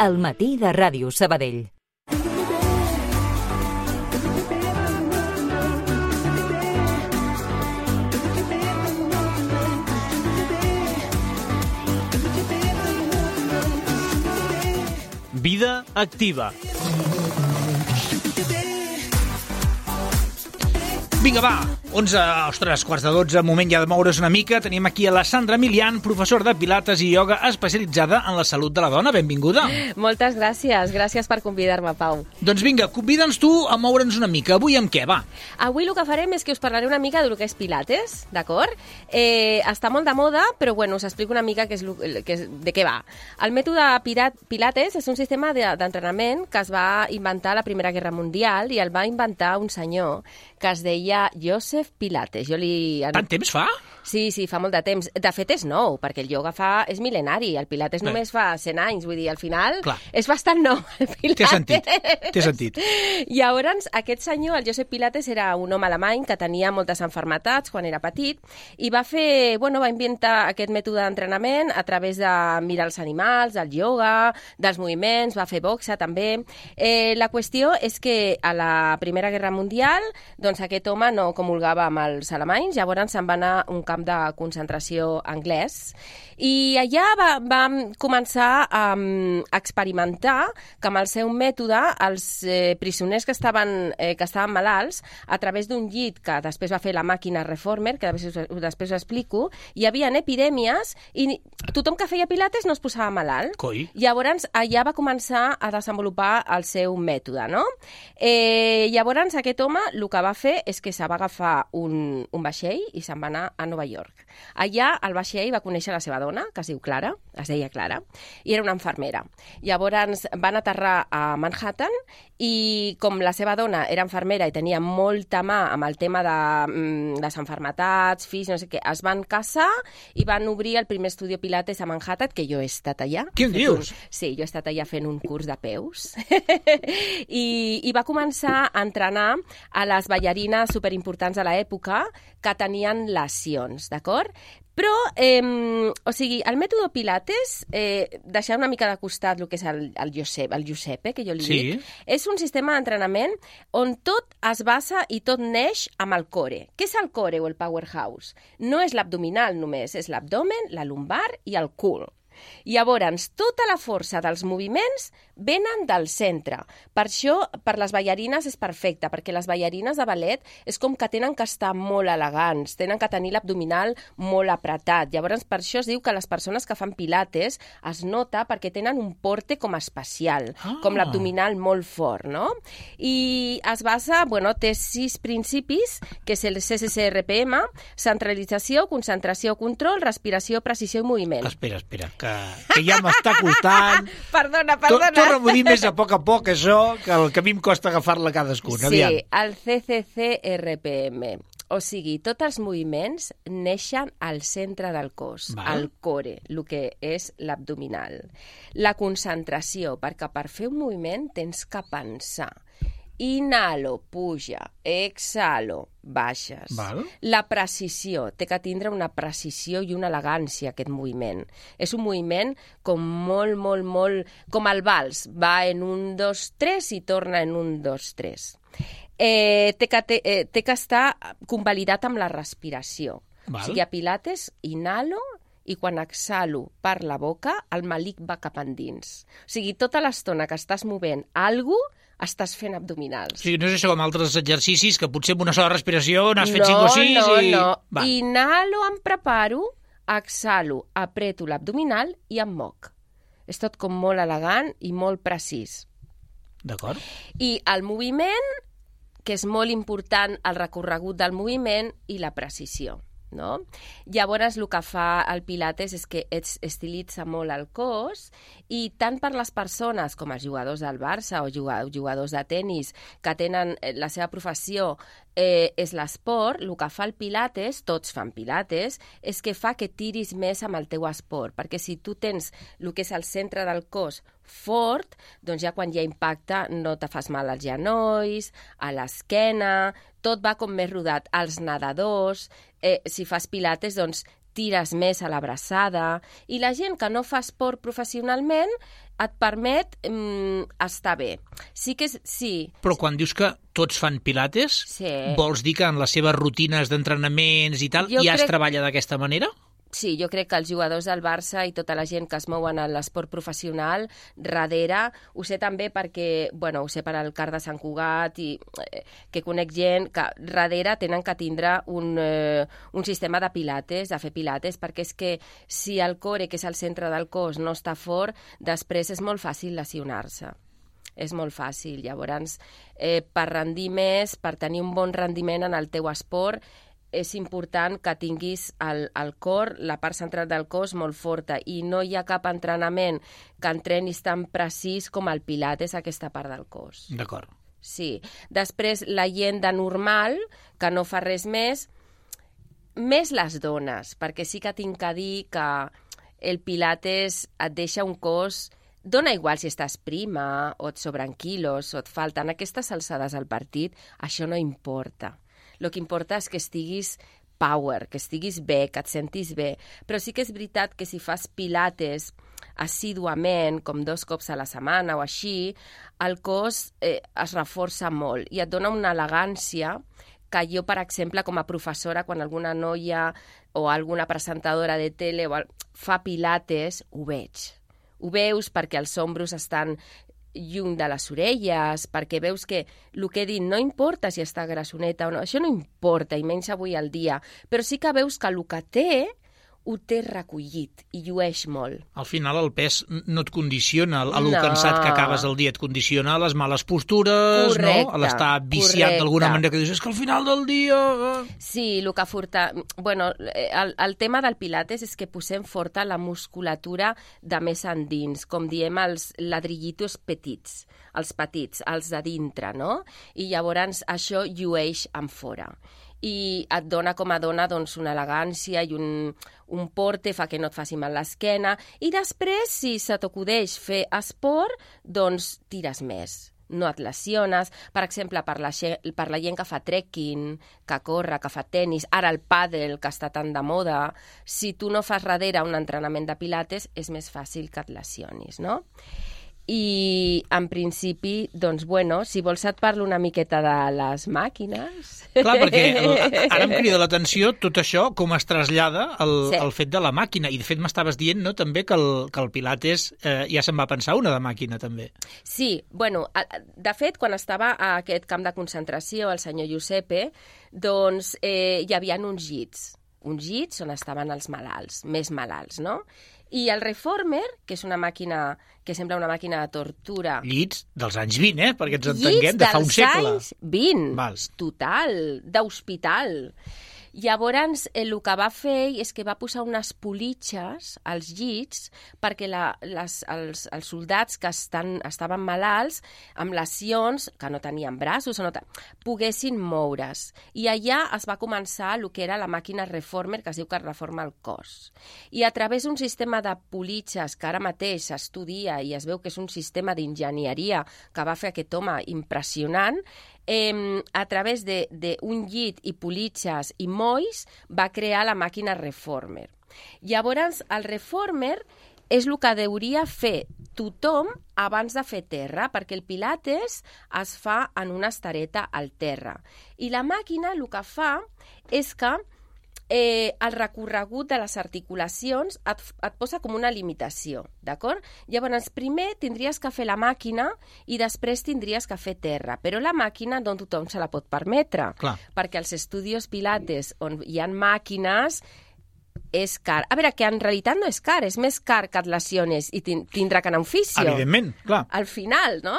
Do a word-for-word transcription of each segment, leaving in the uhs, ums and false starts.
al matí de Ràdio Sabadell. Vida activa. Vinga, va, onze, ostres, quarts de dotze, moment ja de moure's una mica. Tenim aquí a la Sandra Milian, professor de pilates i ioga especialitzada en la salut de la dona. Benvinguda. Moltes gràcies, gràcies per convidar-me, Pau. Doncs vinga, convida'ns tu a moure'ns una mica. Avui amb què, va? Avui el que farem és que us parlaré una mica del que és pilates, d'acord? Eh, està molt de moda, però bueno, us explico una mica que és, que és, de què va. El mètode pilates és un sistema d'entrenament que es va inventar a la Primera Guerra Mundial i el va inventar un senyor que es deia Joseph Pilates. Jo li... Tant temps fa? Sí, sí, fa molt de temps. De fet, és nou, perquè el ioga fa... és mil·lenari. El pilates només fa cent anys. Vull dir, al final, clar, és bastant nou, el pilates. Té sentit, té sentit. Llavors, aquest senyor, el Joseph Pilates, era un home alemany que tenia moltes malalties quan era petit i va fer... bueno, va inventar aquest mètode d'entrenament a través de mirar els animals, del ioga, dels moviments, va fer boxa també. Eh, la qüestió és que a la Primera Guerra Mundial, doncs aquest home no comulgava amb els alemanys, llavors se'n va anar a un camp de concentració anglès i allà va, va començar a um, experimentar que amb el seu mètode els eh, prisoners que estaven, eh, que estaven malalts, a través d'un llit que després va fer la màquina Reformer, que després, després ho explico, hi havia epidèmies i tothom que feia pilates no es posava malalt. Coi. Llavors allà va començar a desenvolupar el seu mètode, no? Eh, llavors aquest home el que va fer és que se va agafar un, un vaixell i se'n va anar a Nova York. Allà al vaixell va conèixer la seva dona, que es diu Clara, es deia Clara, i era una infermera. Llavors van aterrar a Manhattan i com la seva dona era infermera i tenia molta mà amb el tema de mm, les malalties, fills, no sé què, es van casar i van obrir el primer estudi Pilates a Manhattan, que jo he estat allà. Què em dius? Un, sí, jo he estat allà fent un curs de peus I, i va començar a entrenar a les ballarines superimportants de l'època que tenien lesions, d'acord? Però, eh, o sigui, el mètode Pilates, eh, deixar una mica de costat el que és el, el, Josep, el Giuseppe, que jo li sí. dic, és un sistema d'entrenament on tot es basa i tot neix amb el core. Què és el core o el powerhouse? No és l'abdominal només, és l'abdomen, la lumbar i el cul. Llavors, tota la força dels moviments venen del centre. Per això, per les ballarines és perfecte, perquè les ballarines de ballet és com que tenen que estar molt elegants, tenen que tenir l'abdominal molt apretat. Llavors, per això es diu que les persones que fan pilates es nota perquè tenen un porte com especial, ah. com l'abdominal molt fort, no? I es basa, bueno, té sis principis, que és el C C C R P M, centralització, concentració, control, respiració, precisió i moviment. Espera, espera, que, que ja m'està costant. Perdona, perdona. Torna-m'ho a dir més a poc a poc, això, que el que a mi em costa agafar-la cadascuna. Sí, aviam. el C C C R P M. O sigui, tots els moviments neixen al centre del cos, Val. al core, el que és l'abdominal. La concentració, perquè per fer un moviment tens que pensar. Inhalo, puja, exhalo, baixes. Val. La precisió, té que tindre una precisió i una elegància aquest moviment. És un moviment com molt, molt, molt... com el vals, va en un, dos, tres i torna en un, dos, tres. Eh, té, que, té, eh, té que estar convalidat amb la respiració. Val. O sigui, a Pilates, inhalo i quan exhalo per la boca, el malic va cap endins. O sigui, tota l'estona que estàs movent alguna cosa, estàs fent abdominals. O sigui, no és això com altres exercicis que potser amb una sola respiració n'has fet no, cinc o sis no, i... No, no. Inhalo, em preparo, exhalo, apreto l'abdominal i em moc. És tot com molt elegant i molt precís. D'acord. I el moviment, que és molt important, el recorregut del moviment i la precisió. No? Llavors, el que fa el Pilates és que es estilitza molt el cos i tant per les persones com els jugadors del Barça o jugadors de tennis que tenen la seva professió eh, és l'esport, el que fa el Pilates, tots fan Pilates, és que fa que tiris més amb el teu esport, perquè si tu tens el que és el centre del cos fort, doncs ja quan hi ha impacte no te fas mal als genolls, a l'esquena, tot va com més rodat. Els nedadors, eh, si fas pilates, doncs tires més a l'abraçada, i la gent que no fa esport professionalment et permet mm, estar bé. Sí que és, sí. Però quan dius que tots fan pilates, sí. vols dir que en les seves rutines d'entrenaments i tal jo ja crec... es treballa d'aquesta manera? Sí, jo crec que els jugadors del Barça i tota la gent que es mouen en l'esport professional, darrere, ho sé també perquè, bueno, ho sé per al CAR de Sant Cugat i eh, que conec gent que darrere tenen que tindre un, eh, un sistema de pilates, de fer pilates, perquè és que si el core, que és el centre del cos, no està fort, després és molt fàcil lesionar-se. És molt fàcil. Llavors, eh, per rendir més, per tenir un bon rendiment en el teu esport, és important que tinguis el, el cor, la part central del cos molt forta, i no hi ha cap entrenament que entrenis tan precís com el pilates, aquesta part del cos. D'acord. Sí. Després, la gent de normal, que no fa res més, més les dones, perquè sí que tinc que dir que el pilates et deixa un cos... Dona igual si estàs prima, o et sobren quilos, o et falten aquestes alçades al partit, això no importa. El que importa és que estiguis power, que estiguis bé, que et sentis bé. Però sí que és veritat que si fas pilates assíduament, com dos cops a la setmana o així, el cos eh, es reforça molt i et dona una elegància que jo, per exemple, com a professora, quan alguna noia o alguna presentadora de tele fa pilates, ho veig. Ho veus perquè els ombros estan lluny de les orelles, perquè veus que el que he dit no importa si està grassoneta o no, això no importa, i menys avui al dia, però sí que veus que el que té ho té recollit i llueix molt. Al final el pes no et condiciona, el no. cansat que acabes el dia et condiciona les males postures, correcte, no? L'estar viciat d'alguna manera, que dius, és que al final del dia... Sí, el que forta... Bueno, el, el tema del pilates és que posem forta la musculatura de més endins, com diem els ladrillitos petits, els petits, els de dintre, no? I llavors això llueix en fora. I et dona com a dona doncs, una elegància i un, un porte, fa que no et faci mal l'esquena, i després, si se t'acudeix fer esport, doncs tires més, no et lesiones. Per exemple, per la, per la gent que fa trekking, que corre, que fa tennis, ara el pàdel, que està tan de moda, si tu no fas darrere un entrenament de pilates, és més fàcil que et lesionis, no? I, en principi, doncs, bueno, si vols et parlo una miqueta de les màquines. Clar, perquè el, ara em crida l'atenció tot això, com es trasllada el, sí. el fet de la màquina. I, de fet, m'estaves dient, no?, també que el, que el Pilates eh, ja se'n va pensar una de màquina, també. Sí, bueno, de fet, quan estava a aquest camp de concentració, el senyor Giuseppe, doncs eh, hi havia uns llits. Uns llits on estaven els malalts, més malalts, no? I el Reformer, que és una màquina que sembla una màquina de tortura... Llits dels anys vint, eh? Perquè ens entenguem, de fa un segle. Llits dels anys vint, Vals. Total, d'hospital. Llavors, el que va fer és que va posar unes politxes als llits perquè la, les, els, els soldats que estan, estaven malalts, amb lesions, que no tenien braços, o no ten... poguessin moure's. I allà es va començar el que era la màquina Reformer, que es diu que reforma el cos. I a través d'un sistema de politxes que ara mateix s'estudia i es veu que és un sistema d'enginyeria que va fer aquest home impressionant, Eh, a través d'un llit i politxes i molls va crear la màquina Reformer. Llavors, el Reformer és el que hauria fer tothom abans de fer terra, perquè el Pilates es fa en una estereta al terra. I la màquina el que fa és que Eh, el recorregut de les articulacions et, et posa com una limitació, d'acord? Llavors, primer tindries que fer la màquina i després tindries que fer terra, però la màquina no tothom se la pot permetre, Clar. perquè els estudios Pilates on hi ha màquines és car. A veure, que en realitat no és car, és més car que et lesiones i tindrà que anar a un fisio. Evidentment, clar. Al final, no?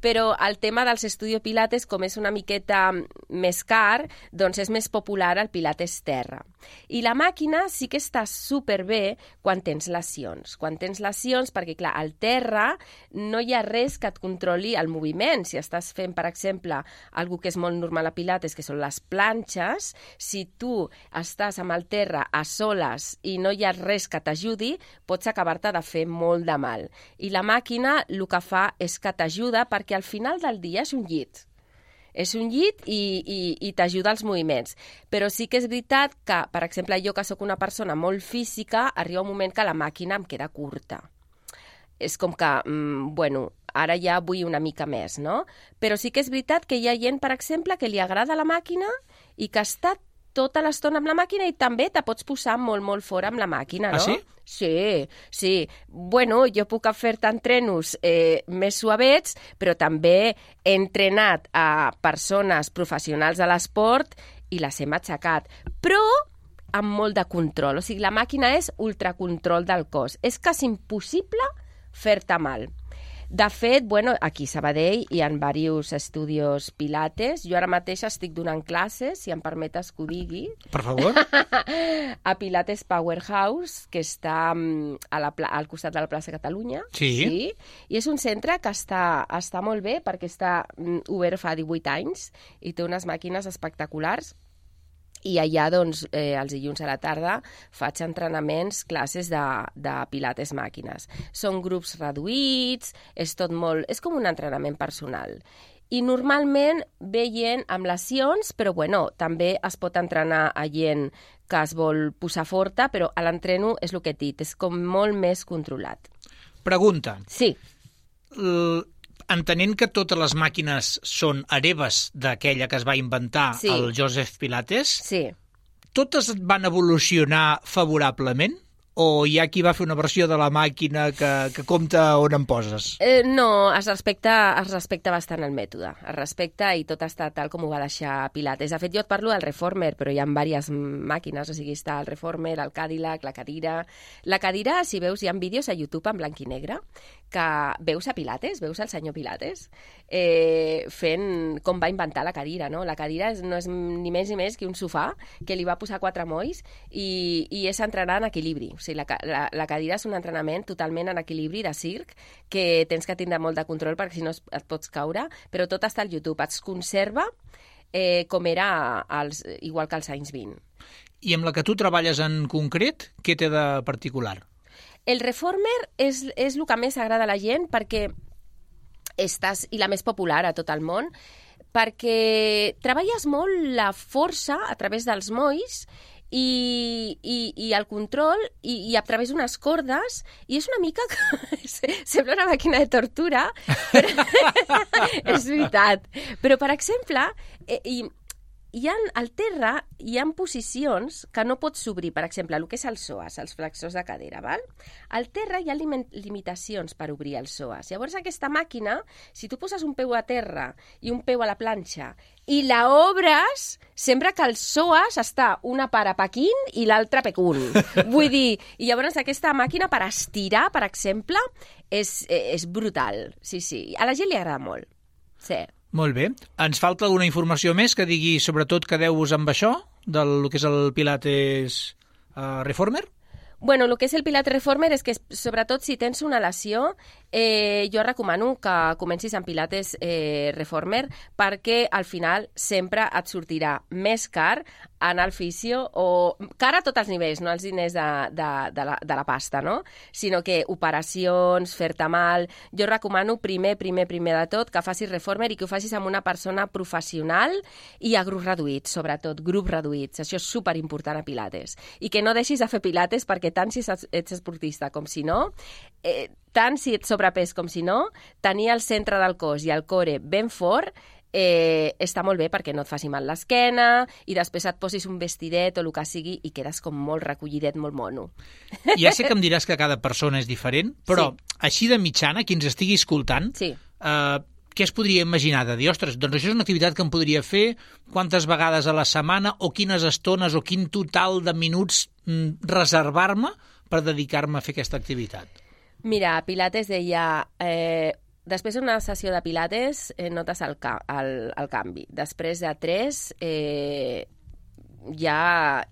Però el tema dels estudios Pilates, com és una miqueta més car, doncs és més popular el Pilates terra. I la màquina sí que està superbé quan tens lesions. Quan tens lesions, perquè, clar, al terra no hi ha res que et controli el moviment. Si estàs fent, per exemple, algo que és molt normal a Pilates, que són les planxes, si tu estàs amb el terra a soles i no hi ha res que t'ajudi, pots acabar-te de fer molt de mal. I la màquina el que fa és que t'ajuda perquè al final del dia és un llit. És un llit i, i, i t'ajuda als moviments. Però sí que és veritat que, per exemple, jo que sóc una persona molt física, arriba un moment que la màquina em queda curta. És com que, mm, bueno, ara ja vull una mica més, no? Però sí que és veritat que hi ha gent, per exemple, que li agrada la màquina i que està tota l'estona amb la màquina i també te pots posar molt, molt fora amb la màquina, no? Ah, sí? Sí, sí. Bueno, jo puc fer-te entrenos eh, més suavets, però també he entrenat a persones professionals de l'esport i les he matxacat. Però amb molt de control. O sigui, la màquina és ultracontrol del cos. És quasi impossible fer-te mal. De fet, bueno, aquí a Sabadell hi ha diversos estudis pilates. Jo ara mateix estic donant classes, si em permetes que ho digui. Per favor. A Pilates Powerhouse, que està a la, al costat de la plaça Catalunya. Sí. Sí. I és un centre que està, està molt bé perquè està obert fa divuit anys i té unes màquines espectaculars. I allà, doncs, eh, els dilluns a la tarda faig entrenaments, classes de, de pilates màquines. Són grups reduïts, és tot molt... És com un entrenament personal. I normalment ve gent amb lesions, però bueno, també es pot entrenar a gent que es vol posar forta, però a l'entreno és el que he dit, és com molt més controlat. Pregunta. Sí. L... Entenent que totes les màquines són hereves d'aquella que es va inventar sí. el Joseph Pilates, sí. totes van evolucionar favorablement? O hi ha qui va fer una versió de la màquina que, que compta on em poses? Eh, no, es respecta, es respecta bastant el mètode. Es respecta i tot està tal com ho va deixar Pilates. De fet, jo et parlo del Reformer, però hi ha diverses màquines. O sigui, està el Reformer, el Cadillac, la cadira... La cadira, si veus, hi ha vídeos a YouTube en blanc i negre que veus a Pilates, veus al senyor Pilates eh, fent com va inventar la cadira, no? La cadira és, no és ni més ni més que un sofà que li va posar quatre molls i, i és entrenar en equilibri. O sigui, la, la, la cadira és un entrenament totalment en equilibri de circ que tens que tindre molt de control perquè si no et pots caure, però tot està al YouTube. Es conserva eh, com era als, igual que als anys vint. I amb la que tu treballes en concret, què té de particular? El Reformer és, és el que més agrada a la gent perquè estàs, i la més popular a tot el món, perquè treballes molt la força a través dels molls i, i, i el control i, i a través d'unes cordes i és una mica que sembla una màquina de tortura però és veritat, però per exemple eh, i hi ha, al terra hi ha posicions que no pots obrir, per exemple, el que és el psoas, els flexors de cadera, val? Al terra hi ha lim limitacions per obrir el psoas. Llavors aquesta màquina, si tu poses un peu a terra i un peu a la planxa i la obres, sembla que el psoas està una part a Pequín i l'altra a Pekún. Vull dir, i llavors aquesta màquina per estirar, per exemple, és, és brutal. Sí, sí, a la gent li agrada molt. Sí. Molt bé. Ens falta alguna informació més que digui sobretot quedeu-vos amb això, del que és el Pilates uh, Reformer? Bueno, el que és el Pilates Reformer és que, sobretot, si tens una lesió, eh, jo recomano que comencis amb Pilates eh, Reformer perquè al final sempre et sortirà més car anar al fisio, o car a tots els nivells, no els diners de, de, de, la, de la pasta, no? Sinó que operacions, fer-te mal... Jo recomano primer, primer, primer de tot que facis Reformer i que ho facis amb una persona professional i a grups reduïts, sobretot, grups reduïts. Això és superimportant a Pilates. I que no deixis de fer Pilates perquè tant si ets esportista com si no, eh, tant si ets sobrepès com si no, tenir el centre del cos i el core ben fort eh, està molt bé perquè no et faci mal l'esquena i després et posis un vestidet o el que sigui i quedes com molt recollidet, molt mono. Ja sé que em diràs que cada persona és diferent, però sí. Així de mitjana, qui ens estigui escoltant, sí. eh, què es podria imaginar de dir, ostres, doncs això és una activitat que em podria fer quantes vegades a la setmana o quines estones o quin total de minuts mm, reservar-me per dedicar-me a fer aquesta activitat? Mira, Pilates deia... Eh, després d'una sessió de Pilates eh, notes el, ca el, el canvi. Després de tres eh, ja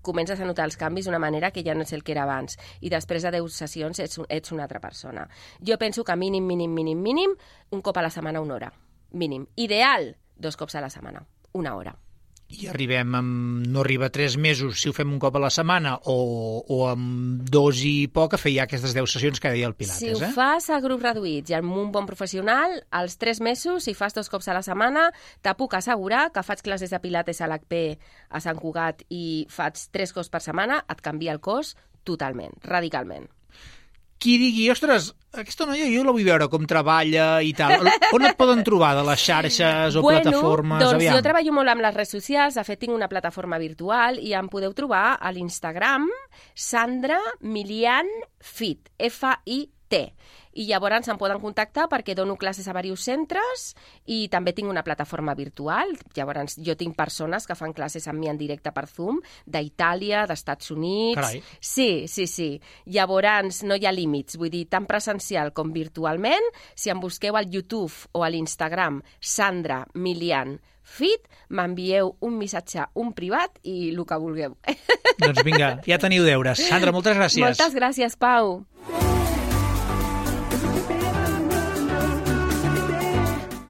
comences a notar els canvis d'una manera que ja no és el que era abans. I després de deu sessions ets, ets una altra persona. Jo penso que mínim, mínim, mínim, mínim, un cop a la setmana una hora. Mínim. Ideal, dos cops a la setmana. Una hora. i arribem amb... no arriba a tres mesos si ho fem un cop a la setmana o, o amb dos i poc a fer ja aquestes deu sessions que deia el Pilates. Si ho eh? fas a grups reduïts i amb un bon professional, als tres mesos, si fas dos cops a la setmana, te puc assegurar que faig classes de Pilates a l'H P a Sant Cugat i faig tres cops per setmana, et canvia el cos totalment, radicalment. Qui digui, ostres, aquesta noia jo la vull veure com treballa i tal. On et poden trobar, de les xarxes o bueno, plataformes? Doncs Aviam. jo treballo molt amb les redes socials, de fet tinc una plataforma virtual i em podeu trobar a l'Instagram Sandra Milian Fit, F I T. I llavors em poden contactar perquè dono classes a diversos centres i també tinc una plataforma virtual. Llavors jo tinc persones que fan classes amb mi en directe per Zoom, d'Itàlia, d'Estats Units... Carai. Sí, sí, sí. Llavors no hi ha límits, vull dir, tant presencial com virtualment. Si em busqueu al YouTube o a l'Instagram Sandra Milian Fit, m'envieu un missatge, un privat i el que vulgueu. Doncs vinga, ja teniu deures. Sandra, moltes gràcies. Moltes gràcies, Pau.